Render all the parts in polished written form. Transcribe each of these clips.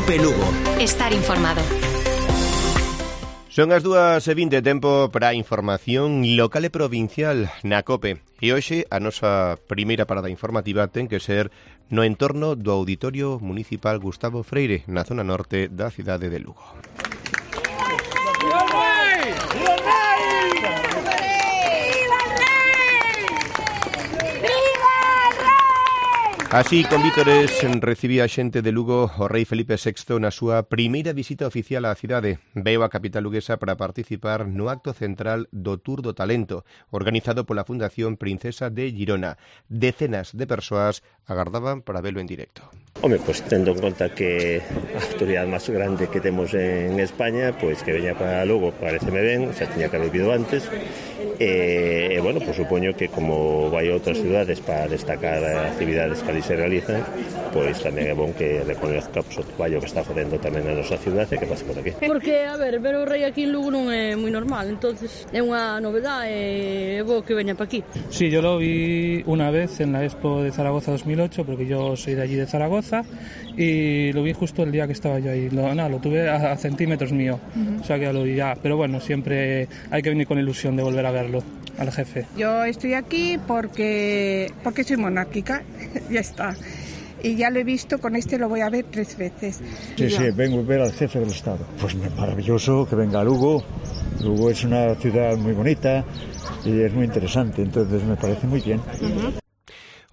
Cope Lugo. Estar informado. Son as 2:20, tempo para a información local e provincial na COPE. E hoxe a nosa primeira parada informativa ten que ser no entorno do Auditorio Municipal Gustavo Freire, na zona norte da cidade de Lugo. Así, con vítores, recibía a xente de Lugo o rei Felipe VI na súa primeira visita oficial á cidade. Veu a capital luguesa para participar no acto central do Tour do Talento, organizado pola Fundación Princesa de Girona. Decenas de persoas agardaban para velo en directo. Home, pues tendo en conta que a autoridade máis grande que temos en España, pues que veña para Lugo, pareceme ben, xa tiña que haber vido antes. Bueno, pues supoño que como vai a outras cidades para destacar as actividades que ali se realizan, pois tamén é bon que reconozca o traballo que está facendo tamén na nosa cidade e que pasa por aquí. Porque, a ver o rei aquí en Lugo non é moi normal, entonces é unha novedade e é bo que veña para aquí. Sí, yo lo vi una vez en la Expo de Zaragoza 2008, porque yo soy de allí de Zaragoza, y lo vi justo el día que estaba yo ahí. Lo tuve a centímetros mío, o sea que ya lo vi ya. Pero bueno, siempre hay que venir con ilusión de volver a verlo, al jefe. Yo estoy aquí porque soy monárquica, ya está. Y ya lo he visto, con este lo voy a ver 3 veces. Sí, vengo a ver al jefe del Estado. Pues maravilloso que venga a Lugo. Lugo es una ciudad muy bonita y es muy interesante, entonces me parece muy bien.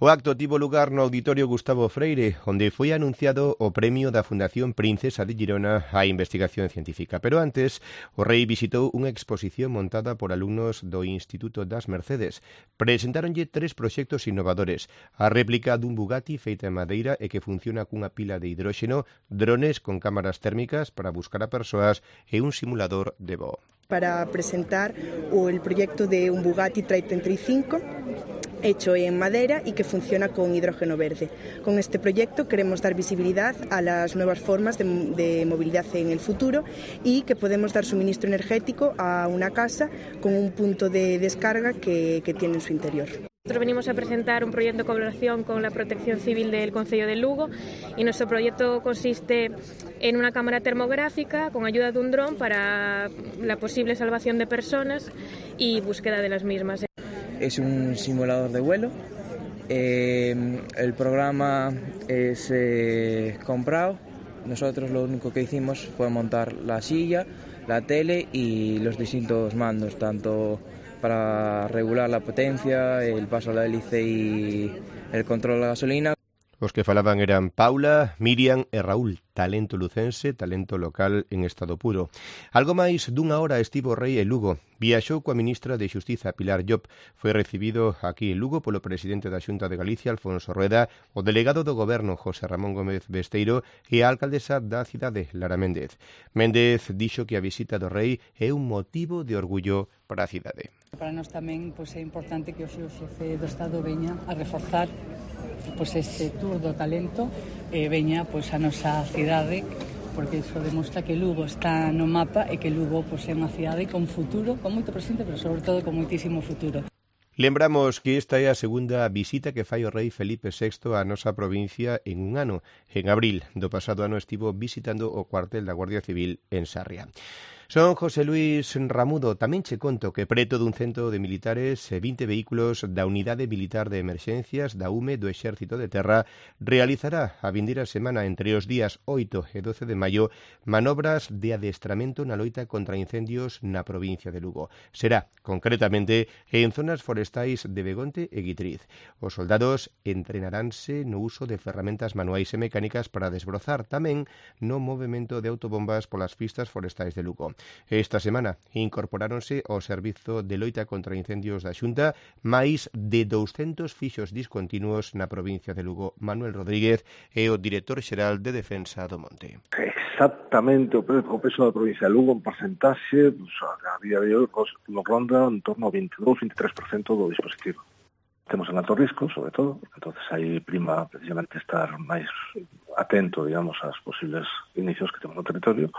O acto tivo lugar no Auditorio Gustavo Freire, onde foi anunciado o premio da Fundación Princesa de Girona á investigación científica. Pero antes, o rei visitou unha exposición montada por alumnos do Instituto das Mercedes. Presentáronlle 3 proxectos innovadores: a réplica dun Bugatti feita en madeira e que funciona cunha pila de hidróxeno, drones con cámaras térmicas para buscar a persoas e un simulador de voo. Para presentar el proyecto de un Bugatti 335 hecho en madera y que funciona con hidrógeno verde. Con este proyecto queremos dar visibilidad a las nuevas formas de movilidad en el futuro y que podemos dar suministro energético a una casa con un punto de descarga que tiene en su interior. Nosotros venimos a presentar un proyecto de colaboración con la Protección Civil del Concello de Lugo y nuestro proyecto consiste en una cámara termográfica con ayuda de un dron para la posible salvación de personas y búsqueda de las mismas. Es un simulador de vuelo. El programa es comprado. Nosotros lo único que hicimos fue montar la silla, la tele y los distintos mandos, tanto para regular la potencia, el paso a la hélice y el control de la gasolina. Os que falaban eran Paula, Miriam e Raúl, talento lucense, talento local en estado puro. Algo máis dunha hora estivo o rei en Lugo. Viaxou coa ministra de Xustiza, Pilar Llop. Foi recibido aquí en Lugo polo presidente da Xunta de Galicia, Alfonso Rueda, o delegado do Goberno, José Ramón Gómez Besteiro, e a alcaldesa da cidade, Lara Méndez. Méndez dixo que a visita do rei é un motivo de orgullo para a cidade. Para nós tamén é importante que o xefe do Estado veña a reforzar este Tour do Talento veña a nosa cidade, porque iso demostra que Lugo está no mapa e que Lugo é unha cidade con futuro, con moito presente, pero sobre todo con moitísimo futuro. Lembramos que esta é a segunda visita que fai o rei Felipe VI á nosa provincia en un ano. En abril do pasado ano estivo visitando o cuartel da Guardia Civil en Sarria. Son José Luis Ramudo. Tamén che conto que preto dun cento de militares e 20 vehículos da Unidade Militar de Emerxencias da UME do Exército de Terra realizará a vindeira semana entre os días 8 e 12 de maio manobras de adestramento na loita contra incendios na provincia de Lugo. Será, concretamente, en zonas forestais de Begonte e Guitriz. Os soldados entrenaránse no uso de ferramentas manuais e mecánicas para desbrozar, tamén no movimento de autobombas polas pistas forestais de Lugo. Esta semana incorporáronse ao servizo de loita contra incendios da Xunta máis de 200 fixos discontinuos na provincia de Lugo. Manuel Rodríguez é o director xeral de Defensa do Monte. Exactamente o peso da provincia de Lugo en porcentaxe, a día de hoy nos ronda en torno ao 22-23% do dispositivo. Temos en alto risco, sobre todo, porque entonces aí prima precisamente estar máis atento, digamos, aos posibles inicios que temos no territorio.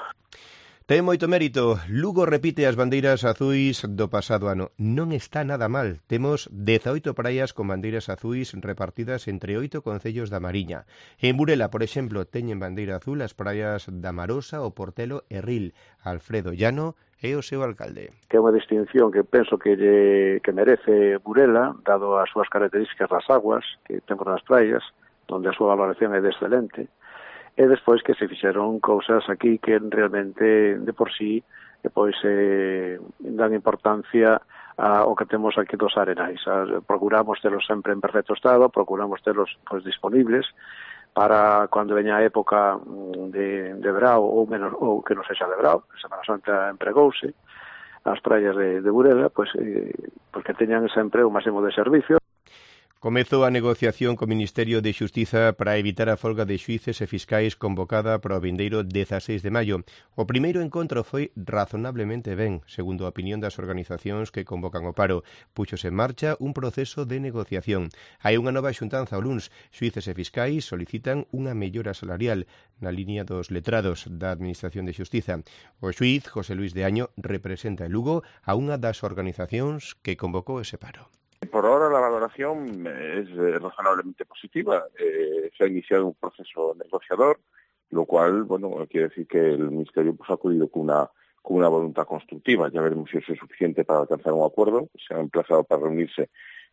Ten moito mérito. Lugo repite as bandeiras azuis do pasado ano. Non está nada mal. Temos 18 praias con bandeiras azuis repartidas entre 8 concellos da Mariña. En Burela, por exemplo, teñen bandeira azul as praias da Marosa, o Portelo e Ril. Alfredo Llano é o seu alcalde. Que é unha distinción que penso que merece Burela, dado as súas características das aguas que temos nas praias, onde a súa valoración é de excelente. E despois que se fixeron cousas aquí que realmente de por sí depois dan importancia ao que temos aquí dos arenais. Procuramos telos sempre en perfecto estado, procuramos telos disponibles para cando veña a época de verao ou que non sexa de verao. Semana Santa empregouse as praias de Burela, porque teñan sempre o máximo de servicio. Comezou a negociación co Ministerio de Xustiza para evitar a folga de xuíces e fiscais convocada para o vindeiro 16 de maio. O primeiro encontro foi razonablemente ben, segundo a opinión das organizacións que convocan o paro. Puxose en marcha un proceso de negociación. Hai unha nova xuntanza o luns. Xuíces e fiscais solicitan unha mellora salarial na liña dos letrados da Administración de Xustiza. O xuíz José Luis de Año representa en Lugo a unha das organizacións que convocou ese paro. Por ahora la valoración es razonablemente positiva. Se ha iniciado un proceso negociador, lo cual, quiere decir que el Ministerio ha acudido con una voluntad constructiva. Ya veremos si eso es suficiente para alcanzar un acuerdo. Se ha emplazado para reunirse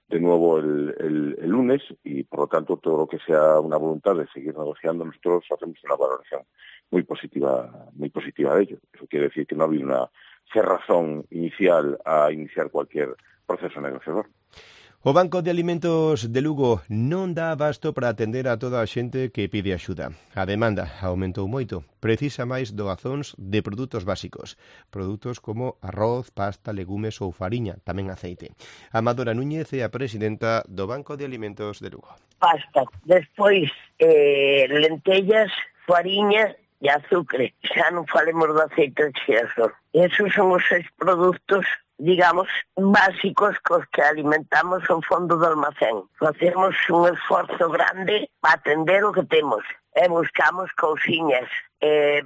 de nuevo el lunes y, por lo tanto, todo lo que sea una voluntad de seguir negociando, nosotros hacemos una valoración muy positiva de ello. Eso quiere decir que no ha habido una cerrazón inicial a iniciar cualquier proceso negociador. O Banco de Alimentos de Lugo non dá abasto para atender a toda a xente que pide axuda. A demanda aumentou moito. Precisa máis doazóns de produtos básicos. Produtos como arroz, pasta, legumes ou fariña, tamén aceite. Amadora Núñez é a presidenta do Banco de Alimentos de Lugo. Pasta, despois lentellas, fariña e azúcar. Xa non falemos do aceite de xirasol. Esos son os 6 produtos, digamos, básicos cos que alimentamos o fondo do almacén. Facemos un esforzo grande para atender o que temos e buscamos cousiñas.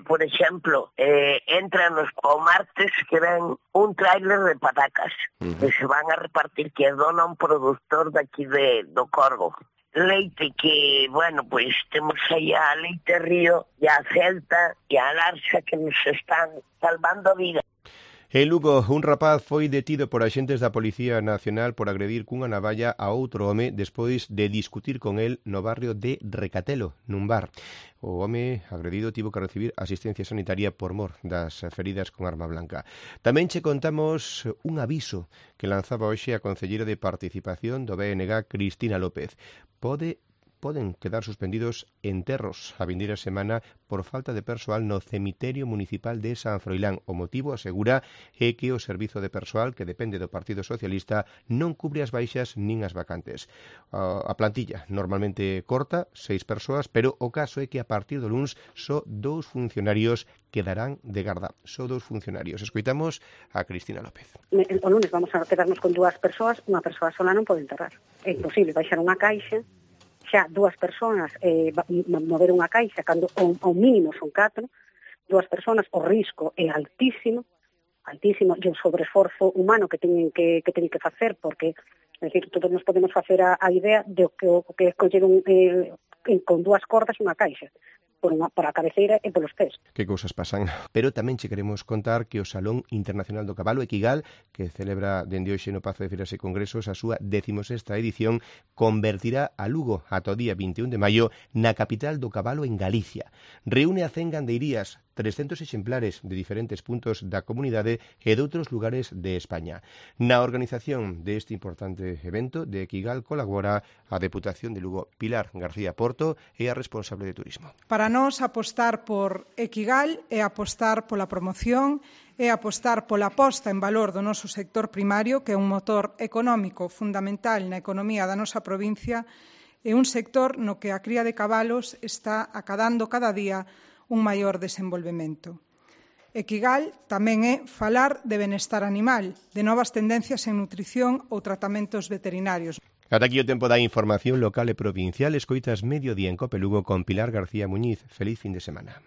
Por exemplo, entran o martes que ven un tráiler de patacas que se van a repartir, que dona un productor daqui do Corgo. Leite que, temos aí a Leite Río e a Celta e a Larxa que nos están salvando a vida. En Lugo, un rapaz foi detido por axentes da Policía Nacional por agredir cunha navalla a outro home despois de discutir con el no barrio de Recatelo, nun bar. O home agredido tivo que recibir asistencia sanitaria por mor das feridas con arma blanca. Tamén che contamos un aviso que lanzaba hoxe a concelleira de Participación do BNG, Cristina López. Poden quedar suspendidos enterros a vindeira semana por falta de persoal no cemiterio municipal de San Froilán. O motivo, asegura, é que o servizo de persoal que depende do Partido Socialista non cubre as baixas nin as vacantes. A plantilla normalmente corta, 6 persoas, pero o caso é que a partir do luns só 2 funcionarios quedarán de garda. Só 2 funcionarios. Escoitamos a Cristina López. O lunes vamos a quedarnos con 2 persoas, unha persoa sola non pode enterrar. É imposible baixar unha caixa, xa 2 persoas mover unha caixa, cando ao mínimo son 4, 2 persoas, o risco é altísimo, e o sobreesforzo humano que teñen que facer, porque, é dicir, todos nos podemos facer a idea de que é coller con 2 cordas unha caixa, para a cabeceira e polos pés. Que cousas pasan. Pero tamén che queremos contar que o Salón Internacional do Cabalo Equigal, que celebra dende hoxe no Pazo de Feiras e Congresos a súa 16ª edición, convertirá a Lugo ata o día 21 de maio na capital do cabalo en Galicia. Reúne a 100 gandeirías, 300 exemplares de diferentes puntos da comunidade e de outros lugares de España. Na organización deste importante evento de Equigal colabora a Deputación de Lugo. Pilar García Porto é a responsable de turismo. Para nós, apostar por Equigal é apostar pola promoción, é apostar pola posta en valor do noso sector primario, que é un motor económico fundamental na economía da nosa provincia, e un sector no que a cría de cabalos está acadando cada día un maior desenvolvemento. Equigal tamén é falar de benestar animal, de novas tendencias en nutrición ou tratamentos veterinarios. Ata aquí o tempo da información local e provincial. Escoitas Mediodía en Cope Lugo con Pilar García Muñiz. Feliz fin de semana.